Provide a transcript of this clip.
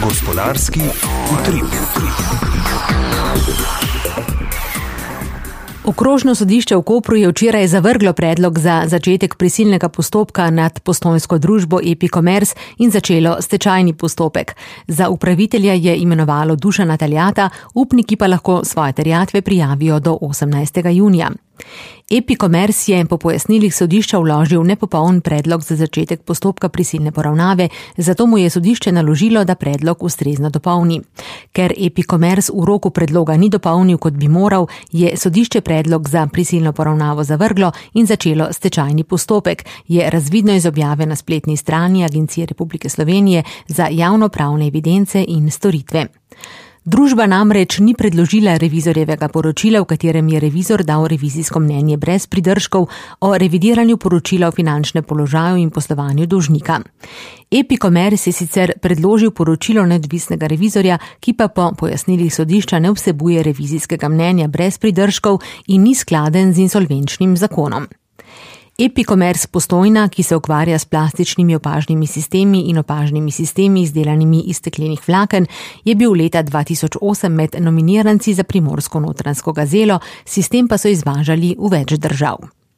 Gospodarski utrip. Okrožno sodišče v Kopru je včeraj zavrglo predlog za začetek prisilnega postopka nad postojnsko družbo Epicommerce in začelo stečajni postopek. Za upravitelja je imenovalo Dušana Taljata, upniki pa lahko svoje terjatve prijavijo do 18. junija. Epicommerce je po pojasnilih sodišča vložil nepopoln predlog za začetek postopka prisilne poravnave, zato mu je sodišče naložilo, da predlog ustrezno dopolni. Ker Epicommerce v roku predloga ni dopolnil, kot bi moral, je sodišče predlog za prisilno poravnavo zavrglo in začelo stečajni postopek, je razvidno iz objave na spletni strani Agencije Republike Slovenije za javnopravne evidence in storitve. Družba namreč ni predložila revizorjevega poročila, v katerem je revizor dal revizijsko mnenje brez pridržkov o revidiranju poročila o finančnem položaju in poslovanju dolžnika. Epicommerce je sicer predložil poročilo neodvisnega revizorja, ki pa po pojasnilih sodišča ne vsebuje revizijskega mnenja brez pridržkov in ni skladen z insolvenčnim zakonom. Epicommerce Postojna, ki se ukvarja s plastičnimi opažnimi sistemi in opažnimi sistemi izdelanimi iz steklenih vlaken, je bil leta 2008 med nominiranci za primorsko notranjsko gazelo, sistem pa so izvažali v več držav.